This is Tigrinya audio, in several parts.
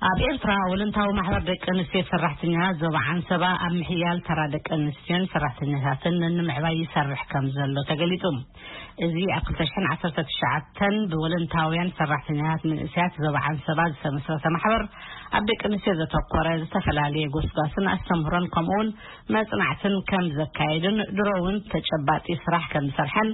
ኣብ ኤርትራ፣ ወለንታዊ ማሕበር ደቂ ኣንስትዮ ሰራሕተኛታት ዞባ ዓንሰባ ኣብ ምሕያል ተራ ደቂ ኣንስትዮን ሰራሕተኛታትን ንምዕባይ ይሰርሕ ከም ዘሎ ተገሊጹ። እዚ ኣብ ክልተ ሽሕን ዓሰርተ ትሽዓተን ብወለንታውያን ሰራሕተኛታት መንእሰያት ዞባ ዓንሰባ ዝተመስረተ ማሕበር፣ ኣብ ደቂ ኣንስትዮ ዘተኮረ ዝተፈላለየ ጎስጓስን ኣስተምህሮን፣ ከምኡውን መጽናዕትን ከም ዘካየድን ድሮ እውን ተጨባጢ ስራሕ ከም ዝሰርሐን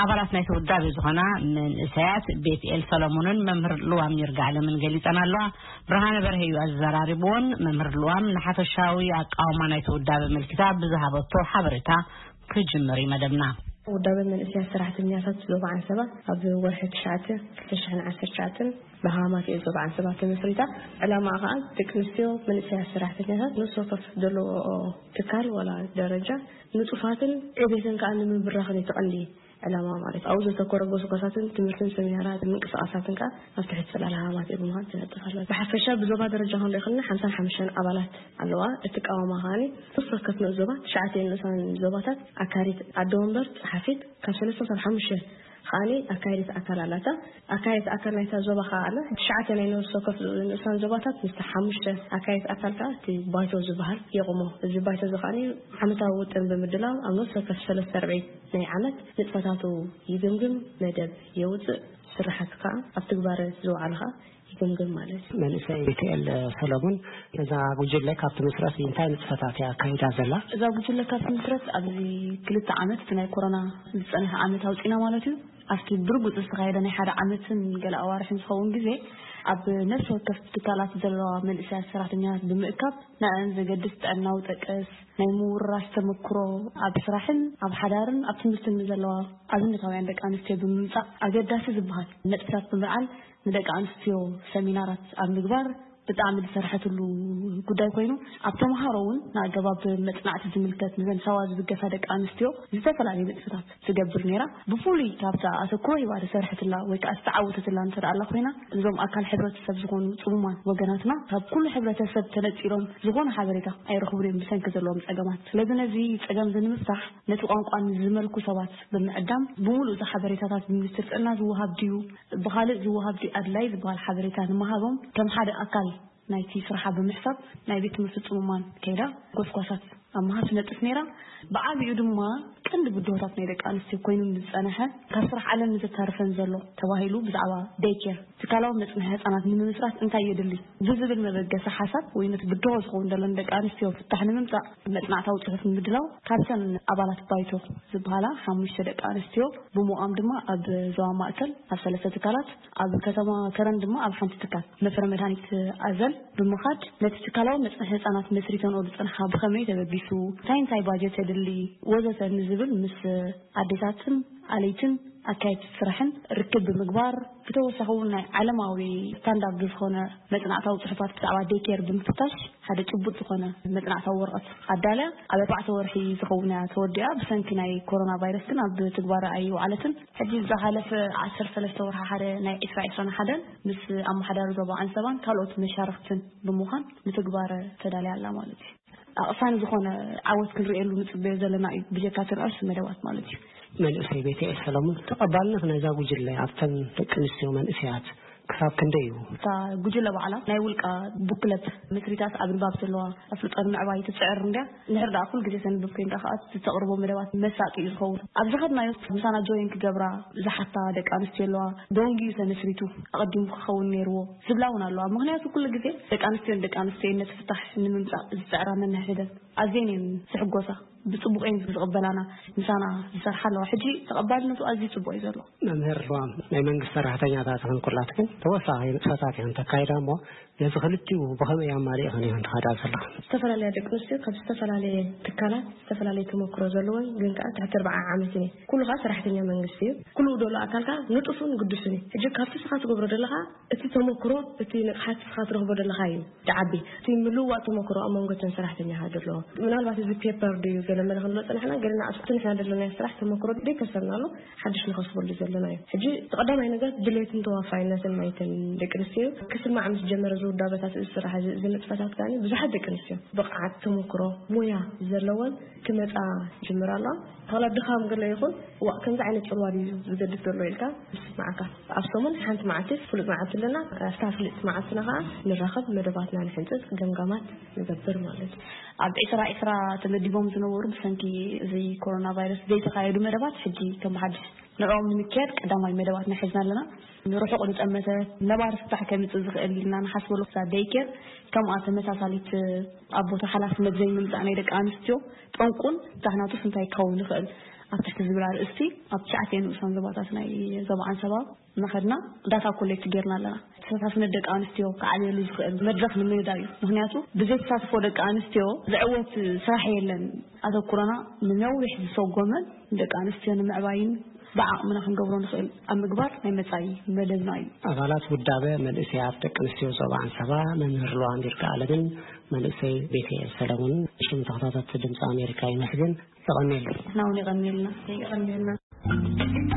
ኣባላት ናይቲ ውዳቤ ዝኾና መንእሰያት ቤትኤል ሰሎሞንን መምህር ልዋም ይርጋዓለምን ገሊጸን ኣለዋ። ብርሃነ በርሀ እዩ ኣዘራሪብዎን። መምህር ልዋም ንሓፈሻዊ ኣቃውማ ናይቲ ውዳቤ ኣመልኪታ ብዝሃበቶ ሓበሬታ ክጅምር እዩ መደብና። ውዳቤ መንእሰያት ሰራሕተኛታት ዞባ ዓንሰባ ኣብ ወርሒ ትሽዓተ ክልተ ሽሕን ዓሰርተ ትሽዓተን ብሃማት እየ ዞባ ዓንሰባ ተመስሪታ። ዕላማ ከዓ ደቂ ኣንስትዮ መንእሰያት ሰራሕተኛታት ነፍሲ ወከፍ ዘለዎ ትካል ዋላ ደረጃ ንጡፋትን ዕቤትን ከዓ ንምብራኽን እዩ እቲ ቀንዲ ዕላማ ማለት። ኣብኡ ዘተኮረ ጎስጓሳትን ትምህርትን ሰሚናራት ምንቅስቃሳትን ከዓ ኣብ ትሕቲ ፅላል ሃማት እየ ብምዃን ትነጥፍ ኣላ። ብሓፈሻ ብዞባ ደረጃ ክንሪኦ ከለና ሓምሳን ሓሙሽተን ኣባላት ኣለዋ። እትቃወማ ከዓኒ ነፍሲ ወከፍ ንኡስ ዞባ ትሽዓተ ንኡሳን ዞባታት ኣካሪት ኣደ ወንበር ጸሓፊት ካብ ሰለስተ ክሳብ ሓሙሽተ ከዓኒ ኣካየዲት ኣካል ኣላታ። ኣካየዲት ኣካል ናይታ ዞባ ከዓ ኣላ። ትሽዓተ ናይ ነፍሲ ወከፍ ንኡሳን ዞባታት ምስቲ ሓሙሽተ ኣካየዲት ኣካል ከዓ እቲ ባይቶ ዝበሃል የቑሞ። እዚ ባይቶ እዚ ከዓኒ ዓመታዊ ውጥን ብምድላው ኣብ ነፍሲ ወከፍ ሰለስተ ርብዒ ናይ ዓመት ንጥፈታቱ ይግምግም፣ መደብ የውፅእ፣ ስራሓት ከዓ ኣብ ትግባረ ዝወዓሉ ከዓ ይግምግም ማለት እዩ። መንእሰይ ቤትኤል ሰለሙን፣ እዛ ጉጅለ ካብ ትምስረት እንታይ ንጥፈታት እያ ኣካይዳ ዘላ? እዛ ጉጅለ ካብ ትምስረት ኣብዚ ክልተ ዓመት፣ እቲ ናይ ኮሮና ዝፀንሐ ዓመት ኣውፂና ማለት እዩ። ኣብቲ ብርጉፅ ዝተኻየደ ናይ ሓደ ዓመትን ገለ ኣዋርሕን ዝኸውን ግዜ፣ ኣብ ነፍሲ ወከፍ ትካላት ዘለዋ መንእሰያት ሰራሕተኛታት ብምእካብ፣ ንዕን ዘገድስ ጥዕናዊ ጠቀስ፣ ናይ ምውርራስ ተመክሮ፣ ኣብ ስራሕን ኣብ ሓዳርን ኣብ ትምህርትን ንዘለዋ ኣብነታውያን ደቂ ኣንስትዮ ብምምጻእ፣ ኣገዳሲ ዝበሃል ነጥብታት ብምልዓል፣ ንደቂ ኣንስትዮ ሰሚናራት ኣብ ምግባር ብጣዕሚ ዝሰርሐትሉ ጉዳይ ኮይኑ፣ ኣብ ተምሃሮ እውን ንኣገባብ መጽናዕቲ ዝምልከት፣ ንዘን ሳዋ ዝብገሳ ደቂ ኣንስትዮ ዝተፈላለዩ ንጥፈታት ትገብር ነይራ። ብፍሉይ ካብታ ኣተኩሮ ሂባ ዝሰርሐትላ ወይ ከዓ ዝተዓወተትላ እንተ ደኣ ኣላ ኮይና፣ እዞም ኣካል ሕብረተሰብ ዝኾኑ ጽሙማን ወገናትና ካብ ኩሉ ሕብረተሰብ ተነጺሎም ዝኾነ ሓበሬታ ኣይረኽቡን እዮም ብሰንኪ ዘለዎም ጸገማት። ስለዚ ነዚ ጸገም እዚ ንምፍታሕ ነቲ ቋንቋ ንዝመልኩ ሰባት ብምዕዳም፣ ብምሉእ እዚ ሓበሬታታት ብሚኒስትሪ ጥዕና ዝወሃብ ድዩ፣ ብኻልእ ዝወሃብ ድዩ ኣድላይ ዝበሃል ሓበሬታ ንምሃቦም ከም ሓደ ኣካል ናይቲ ስርሓ ብምሕሳብ ናይ ቤት ትምህርቲ ጽሙማን ከይዳ ጎስጓሳት ኣብ ምሃብ ትነጥፍ ነይራ። ብዓቢኡ ድማ ቀንዲ ብድሆታት ናይ ደቂ ኣንስትዮ ኮይኑ ዝጸንሐ ካብ ስራሕ ዓለም ንዘታርፈን ዘሎ ተባሂሉ ብዛዕባ ዴይ ኬር ትካላዊ መጽንሒ ህጻናት ንምምስራት እንታይ የድሊ ብዝብል መበገሲ ሓሳብ ወይ ነቲ ብድሆ ዝኸውን ዘሎ ንደቂ ኣንስትዮ ፍታሕ ንምምጻእ መጽናዕታዊ ጽሑፍ ንምድላው ካብተን ኣባላት ባይቶ ዝበሃላ ሓሙሽተ ደቂ ኣንስትዮ ብምዃም ድማ ኣብ ዞባ ማእከል ኣብ ሰለስተ ትካላት፣ ኣብ ከተማ ከረን ድማ ኣብ ሓንቲ ትካል መፍረ መድሃኒት ኣዘል ብምኻድ ነቲ ትካላዊ መጽንሒ ህጻናት መስሪተንኦ ዝጸንሓ ብኸመይ ተበጊሱ፣ እንታይ እንታይ ባጀት የድሊ ወዘተ ንዝብል ምስ ኣዴታትን ኣለይትን ኣካየድቲ ስራሕን ርክብ ብምግባር፣ ብተወሳኺ እውን ናይ ዓለማዊ ስታንዳርድ ዝኾነ መጽናዕታዊ ጽሑፋት ብዛዕባ ዴይ ኬር ብምፍታሽ ሓደ ጭቡጥ ዝኾነ መጽናዕታዊ ወረቐት ኣዳልያ ኣብ ኣርባዕተ ወርሒ ዝኸውን እያ ተወዲኣ። ብሰንኪ ናይ ኮሮና ቫይረስ ግን ኣብ ትግባረ ኣይወዓለትን። ሕጂ ዝሓለፈ ዓሰርተ ሰለስተ ወርሒ ሓደ ናይ ዕስራ ዕስራን ሓደን ምስ ኣመሓዳሪ ዞባ ዓንሰባን ካልኦት መሻርኽትን ብምዃን ንትግባረ ተዳልያ ኣላ ማለት እዩ። ኣቕሳኒ ዝኾነ ዓወት ክንርእየሉ ንጽበዮ ዘለና እዩ፣ ብጀካ እቲ ንኣሽቱ መደባት ማለት እዩ። መንእሰይ ቤትኤል ሰለሙን፣ ተቐባልነት ናይዛ ጉጅለ ኣብተን ደቂ ኣንስትዮ መንእሰያት ክሳብ ክንደይ እዩ? እታ ጉጅለ ባዕላ ናይ ውልቃ ቡክለት መስሪታት ኣብ ንባብ ዘለዋ ኣፍልጦ ንምዕባይ ትጽዕር እንድያ። እንድሕር ደኣ ኩሉ ግዜ ተንብብ ኮይንካ ከኣ እቲ ተቕርቦ መደባት መሳጢ እዩ ዝኸውን። ኣብ ዝኸድናዮ ምሳና ጆይን ክገብራ ዝሓታ ደቂ ኣንስትዮ ኣለዋ። ደንጉዩ ተመስሪቱ ኣቐዲሙ ክኸውን ነይርዎ ዝብላ እውን ኣለዋ። ምኽንያቱ ኩሉ ግዜ ደቂ ኣንስትዮ ንደቂ ኣንስትዮ ነቲ ፍታሕ ንምምጻእ ዝጽዕራ ነንሕድሕደን ኣዝየን እየን ዝሕጎሳ። ብጽቡቕ እየን ዝቕበላና፣ ምሳና ዝሰርሓ ኣለዋ። ሕጂ ተቐባልነቱ ኣዝዩ ጽቡቕ እዩ ዘሎ። መምህር ልዋም፣ ናይ መንግስቲ ሰራሕተኛታት ይኹን ኩላትክን ተወሳኺ ንጥፈታት ኢኽን ተካይዳ እሞ፣ ነዚ ክልቲኡ ብኸመይ ኣማሊእኽን ኢኽን ትኸዳ ዘለኽን? ዝተፈላለያ ደቂ ኣንስትዮ ካብ ዝተፈላለየ ትካላት ዝተፈላለየ ተመክሮ ዘለወን፣ ግን ከኣ ትሕቲ ኣርብዓ ዓመትን እየን። ኩሉ ከኣ ሰራሕተኛ መንግስቲ እዩ። ኩሉ ዘሎ ኣካል ከኣ ንጡፍን ግዱስን እዩ። ሕጂ ካብቲ ንስኻ ትገብሮ ዘለኻ እቲ ተመክሮ፣ እቲ ንቕሓት ንስኻ ትረኽቦ ዘለኻ እዩ ዝዓቢ። እቲ ምልውዋጥ ተመክሮ ኣብ መንጎ እተን ሰራሕተኛታት ዘሎ፣ ምናልባት እዚ ፔፐር ድዩ ገለ መለ ክንብሎ ጸናሕና፣ ገለና ኣብቲ ንሕና ዘለናዮ ስራሕ ተመክሮ ደይከሰብናሉ ሓድሽ ንኸስበሉ ዘለና እዩ። ሕጂ እቲ ቀዳማይ ነገር ድሌትን ተዋፋይነትን ናይቲ ደቂ ኣንስትዮ ክስማዕ ምስ ጀመረ ዝውዳበታት እዚ ስራሕ እዚ፣ እዚ ንጥፈታት ከኣ ብዙሓት ደቂ ኣንስትዮ ብቕዓት፣ ተመክሮ፣ ሞያ ዘለወን ክመጻ ጅምራ ኣለዋ። ዋላ ድኻም ገለ ይኹን፣ ዋእ፣ ከምዚ ዓይነት ጽልዋ ድዩ ዝገድፍ ዘሎ ኢልካ ዝስምዓካ። ኣብ ሰሙን ሓንቲ መዓልቲ፣ ፍሉጥ መዓልቲ ኣለና። ኣብታ ፍልጥቲ መዓልትና ከኣ ንራኸብ፣ መደባትና ንሕንጽጽ፣ ገምጋማት ንገብር ማለት እዩ። ኣብ ዕስራ ዕስራ ተመዲቦም ዝነበሩ ብሰንኪ እዚ ኮሮና ቫይረስ ዘይተኻየዱ መደባት ሕጂ ከም ሓድሽ ንዕኦም ንምክያድ ቀዳማይ መደባትና ሒዝና ኣለና። ንርሑቕ ዝጠመተ ነባሪ ፍታሕ ከምጽእ ዝኽእል ኢልና ንሓስበሉ ክሳብ ደይኬር ከምኣ ተመሳሳሊት ኣብ ቦታ ሓላፍነት ዘይምምጻእ ናይ ደቂ ኣንስትዮ ጠንቁን ፍታሕናቱስ እንታይ ክኸውን ይኽእል ኣብ ትሕቲ ዝብል ኣርእስቲ ኣብ ትሽዓተ ንኡሳን ዞባታት ናይ ዞባ ዓንሰባ እናኸድና ዳታ ኮሌክት ጌርና ኣለና። ተሳታፍነት ደቂ ኣንስትዮ ክዓብየሉ ዝኽእል መድረኽ ንምንዳይ እዩ። ምኽንያቱ ብዘይተሳትፎ ደቂ ኣንስትዮ ዝዕወት ስራሕ የለን። ኣተኩሮና ንነዊሕ ዝሰጎመን ደቂ ኣንስትዮ ንምዕባይን ብዓቕምና ክንገብሮ ንኽእል ኣብ ምግባር ናይ መጻኢ መደብና እዩ። ኣባላት ውዳበ መንእሰያት ደቂ ኣንስትዮ ዞባ ዓንሰባ መምህር ሉዋም ይርጋኣለምን መንእሰይ ቤቴ ሰለሙን ሽም ተኸታተልቲ ድምፂ ኣሜሪካ ይመስግን። የቐንየሉ። ንሕና እውን የቐንየልና። የቐንየልና።